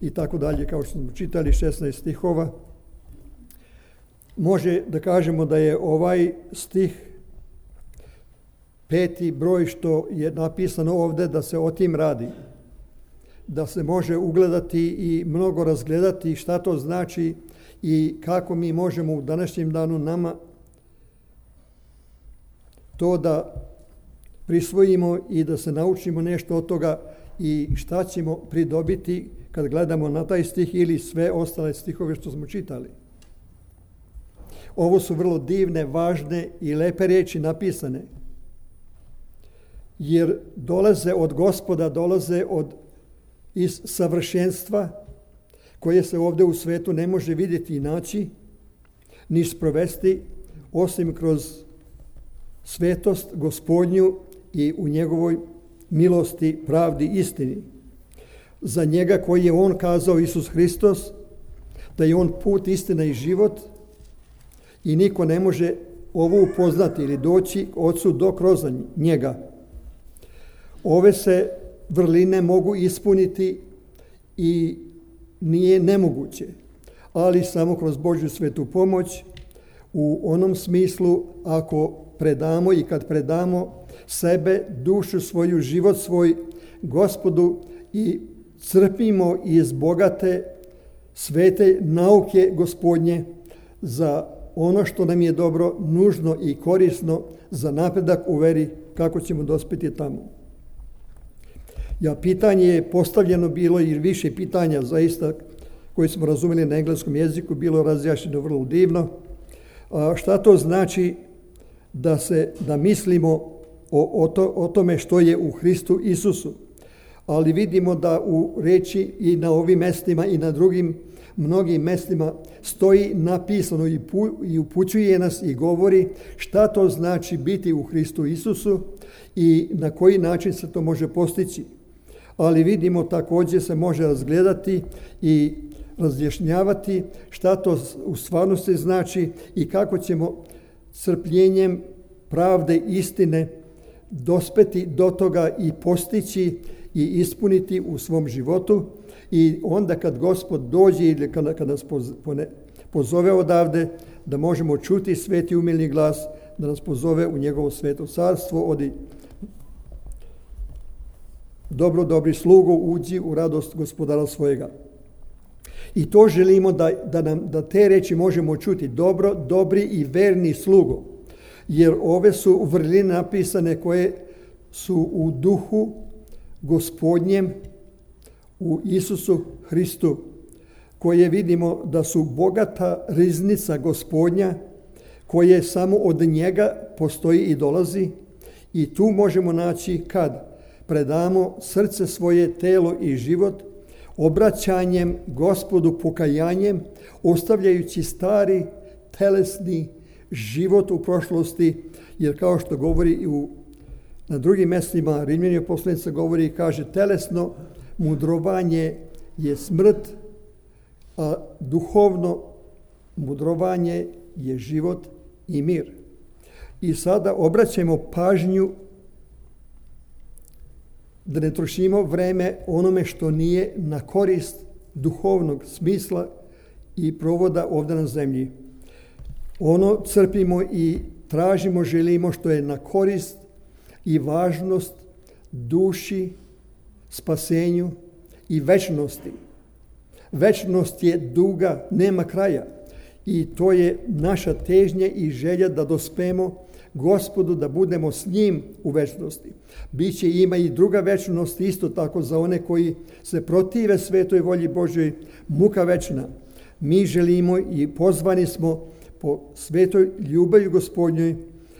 i tako dalje, kao što smo čitali 16 stihova. Može da kažemo da je ovaj stih 5. broj što je napisano ovdje da se o tim radi. Da se može ugledati i mnogo razgledati šta to znači i kako mi možemo u današnjem danu nama to da prisvojimo i da se naučimo nešto od toga i šta ćemo pridobiti kad gledamo na taj stih ili sve ostale stihove što smo čitali. Ovo su vrlo divne, važne i lepe riječi napisane, jer dolaze od Gospoda, dolaze iz savršenstva koje se ovdje u svetu ne može vidjeti i naći, ni sprovesti, osim kroz svetost Gospodnju i u njegovoj milosti, pravdi, istini. Za njega koji je on kazao, Isus Hristos, da je on put, istina i život i niko ne može ovo upoznati ili doći Otcu do kroz njega. Ove se vrline mogu ispuniti i nije nemoguće, ali samo kroz Božju svetu pomoć u onom smislu ako predamo i kad predamo sebe, dušu svoju, život svoj Gospodu i crpimo iz bogate svete nauke Gospodnje za ono što nam je dobro, nužno i korisno za napredak u veri, kako ćemo dospjeti tamo. Pitanje je postavljeno bilo i više pitanja zaista koje smo razumjeli na engleskom jeziku, bilo razjašnjeno vrlo divno. Šta to znači da mislimo o tome što je u Hristu Isusu? Ali vidimo da u reči i na ovim mestima i na drugim mnogim mestima stoji napisano i upućuje nas i govori šta to znači biti u Hristu Isusu i na koji način se to može postići. Ali vidimo također se može razgledati i razjašnjavati šta to u stvarnosti znači i kako ćemo crpljenjem pravde istine dospeti do toga i postići i ispuniti u svom životu. I onda kad Gospod dođe ili kad nas pozove odavde, da možemo čuti sveti umilni glas, da nas pozove u njegovo sveto carstvo, odi dobri slugo, uđi u radost gospodara svojega. I to želimo da te reči možemo čuti, dobri i verni slugo, jer ove su vrline napisane koje su u duhu Gospodnjem, u Isusu Hristu, koje vidimo da su bogata riznica Gospodnja, koje samo od njega postoji i dolazi, i tu možemo naći kad predamo srce svoje, telo i život, obraćanjem Gospodu, pokajanjem, ostavljajući stari telesni život u prošlosti, jer kao što govori na drugim mjestima, Rimljanima poslanica govori i kaže, telesno mudrovanje je smrt, a duhovno mudrovanje je život i mir. I sada obraćamo pažnju da ne trošimo vreme onome što nije na korist duhovnog smisla i provoda ovdje na zemlji. Ono crpimo i tražimo, želimo što je na korist i važnost duši, spasenju i večnosti. Večnost je duga, nema kraja. I to je naša težnja i želja da dospemo Gospodu, da budemo s njim u večnosti. Ima i druga večnost, isto tako za one koji se protive svetoj volji Božoj, muka večna. Mi želimo i pozvani smo po svetoj ljubavi Gospodnjoj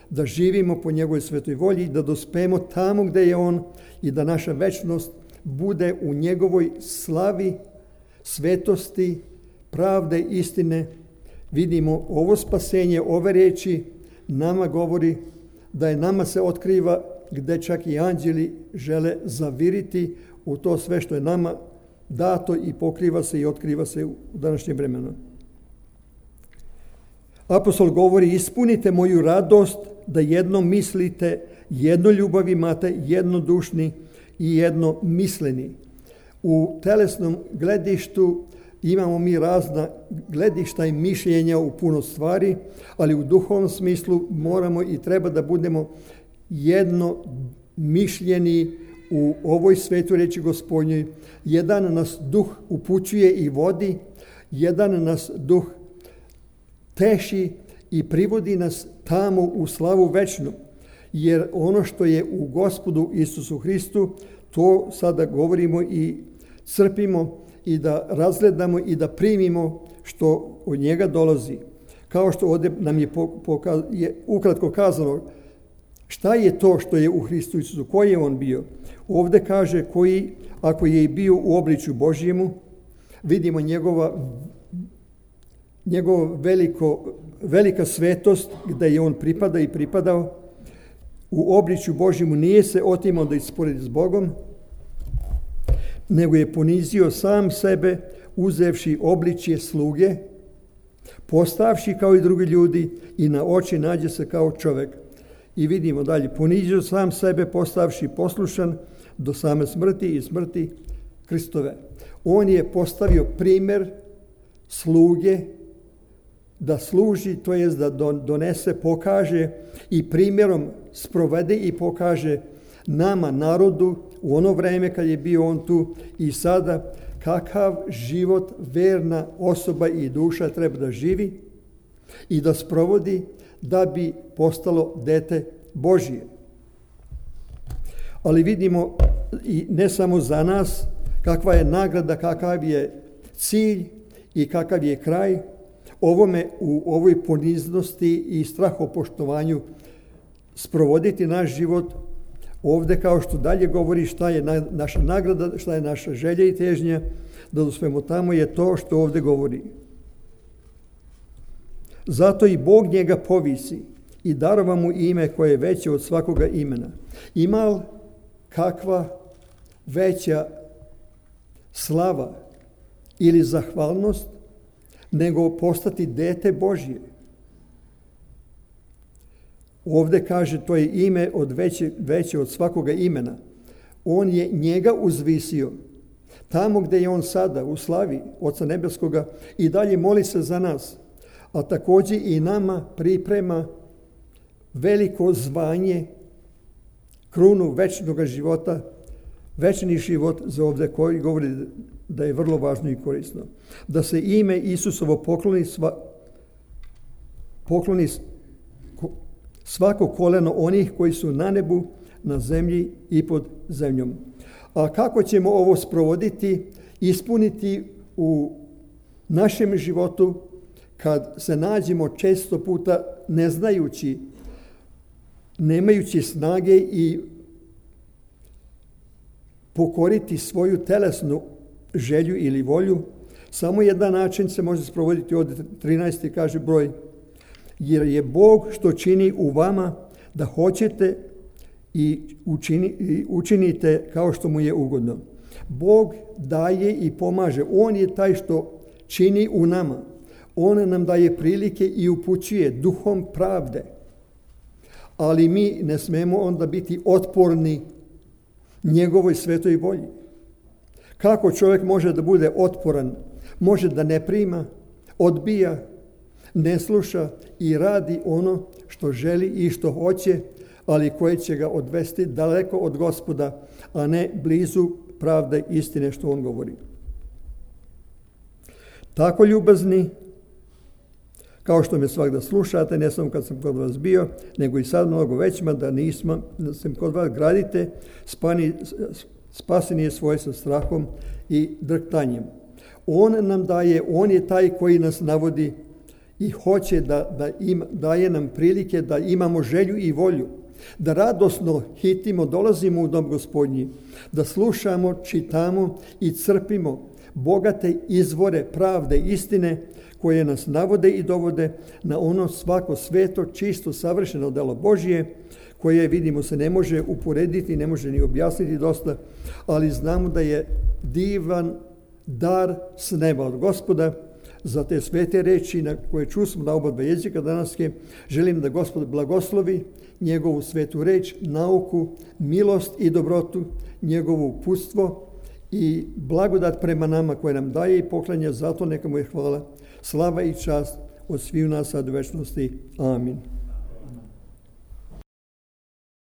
da živimo po njegovoj svetoj volji, da dospemo tamo gdje je on i da naša večnost bude u njegovoj slavi, svetosti, pravde, istine. Vidimo ovo spasenje, ove riječi nama govori da je nama se otkriva gdje čak i anđeli žele zaviriti u to sve što je nama dato i pokriva se i otkriva se u današnjem vremenu. Apostol govori, ispunite moju radost da jedno mislite, jedno ljubav imate, jednodušni i jedno misleni. U telesnom gledištu imamo mi razna gledišta i mišljenja u puno stvari, ali u duhovnom smislu moramo i treba da budemo jedno mišljeni u ovoj svetu reči Gospodnjoj. Jedan nas duh upućuje i vodi, jedan nas duh teši i privodi nas tamo u slavu večnu. Jer ono što je u Gospodu Isusu Hristu, to sada govorimo i crpimo i da razgledamo i da primimo što od njega dolazi. Kao što ovdje nam je ukratko kazano šta je to što je u Hristu Isusu, koji je on bio. Ovdje kaže koji, ako je i bio u obličju Božjemu, vidimo njegova velika svetost gdje je on pripada i pripadao. U obličju Božjemu nije se otimao da isporedi s Bogom, nego je ponizio sam sebe, uzevši obličje sluge, postavši kao i drugi ljudi i na oči nađe se kao čovjek. I vidimo dalje, ponizio sam sebe, postavši poslušan do same smrti i smrti Kristove. On je postavio primjer sluge da služi, to jest da donese, pokaže i primjerom sprovede i pokaže nama, narodu, u ono vrijeme kad je bio on tu i sada, kakav život verna osoba i duša treba da živi i da sprovodi da bi postalo dete Božje. Ali vidimo i ne samo za nas kakva je nagrada, kakav je cilj i kakav je kraj ovome u ovoj poniznosti i strahopoštovanju sprovoditi naš život. Ovdje kao što dalje govori šta je naša nagrada, šta je naša želja i težnja, da dospemo tamo je to što ovdje govori. Zato i Bog njega povisi i darova mu ime koje je veće od svakoga imena. Ima li kakva veća slava ili zahvalnost nego postati dete Božje? Ovdje kaže to je ime veće od svakoga imena. On je njega uzvisio. Tamo gdje je on sada, u slavi Oca Nebeskoga, i dalje moli se za nas. A također i nama priprema veliko zvanje, krunu večnog života, večni život za ovdje koji govori da je vrlo važno i korisno. Da se ime Isusovo pokloni svako koleno onih koji su na nebu, na zemlji i pod zemljom. A kako ćemo ovo sprovoditi, ispuniti u našem životu kad se nađemo često puta ne znajući, nemajući snage i pokoriti svoju telesnu želju ili volju? Samo jedan način se može sprovoditi, od 13. kaže broj, jer je Bog što čini u vama da hoćete i učinite kao što mu je ugodno. Bog daje i pomaže. On je taj što čini u nama. On nam daje prilike i upućuje duhom pravde. Ali mi ne smemo onda biti otporni njegovoj svetoj volji. Kako čovjek može da bude otporan? Može da ne prima, odbija, ne sluša i radi ono što želi i što hoće, ali koje će ga odvesti daleko od Gospoda, a ne blizu pravde istine što on govori. Tako ljubazni, kao što me svakda slušate, ne samo kad sam kod vas bio, nego i sad mnogo većima, da sam kod vas gradite, spasen je svoj sa strahom i drhtanjem. On nam daje, on je taj koji nas navodi i hoće daje nam prilike da imamo želju i volju, da radosno hitimo, dolazimo u dom Gospodnji, da slušamo, čitamo i crpimo bogate izvore pravde, istine, koje nas navode i dovode na ono svako sveto, čisto, savršeno delo Božje, koje, vidimo, se ne može uporediti, ne može ni objasniti dosta, ali znamo da je divan dar s neba od Gospoda. Za te svete reči na koje čusmo na oba dva jezika danaske, želim da Gospod blagoslovi njegovu svetu reč, nauku, milost i dobrotu, njegovo uputstvo i blagodat prema nama koje nam daje i poklanja, zato neka mu je hvala, slava i čast od svih nas sad u večnosti. Amin.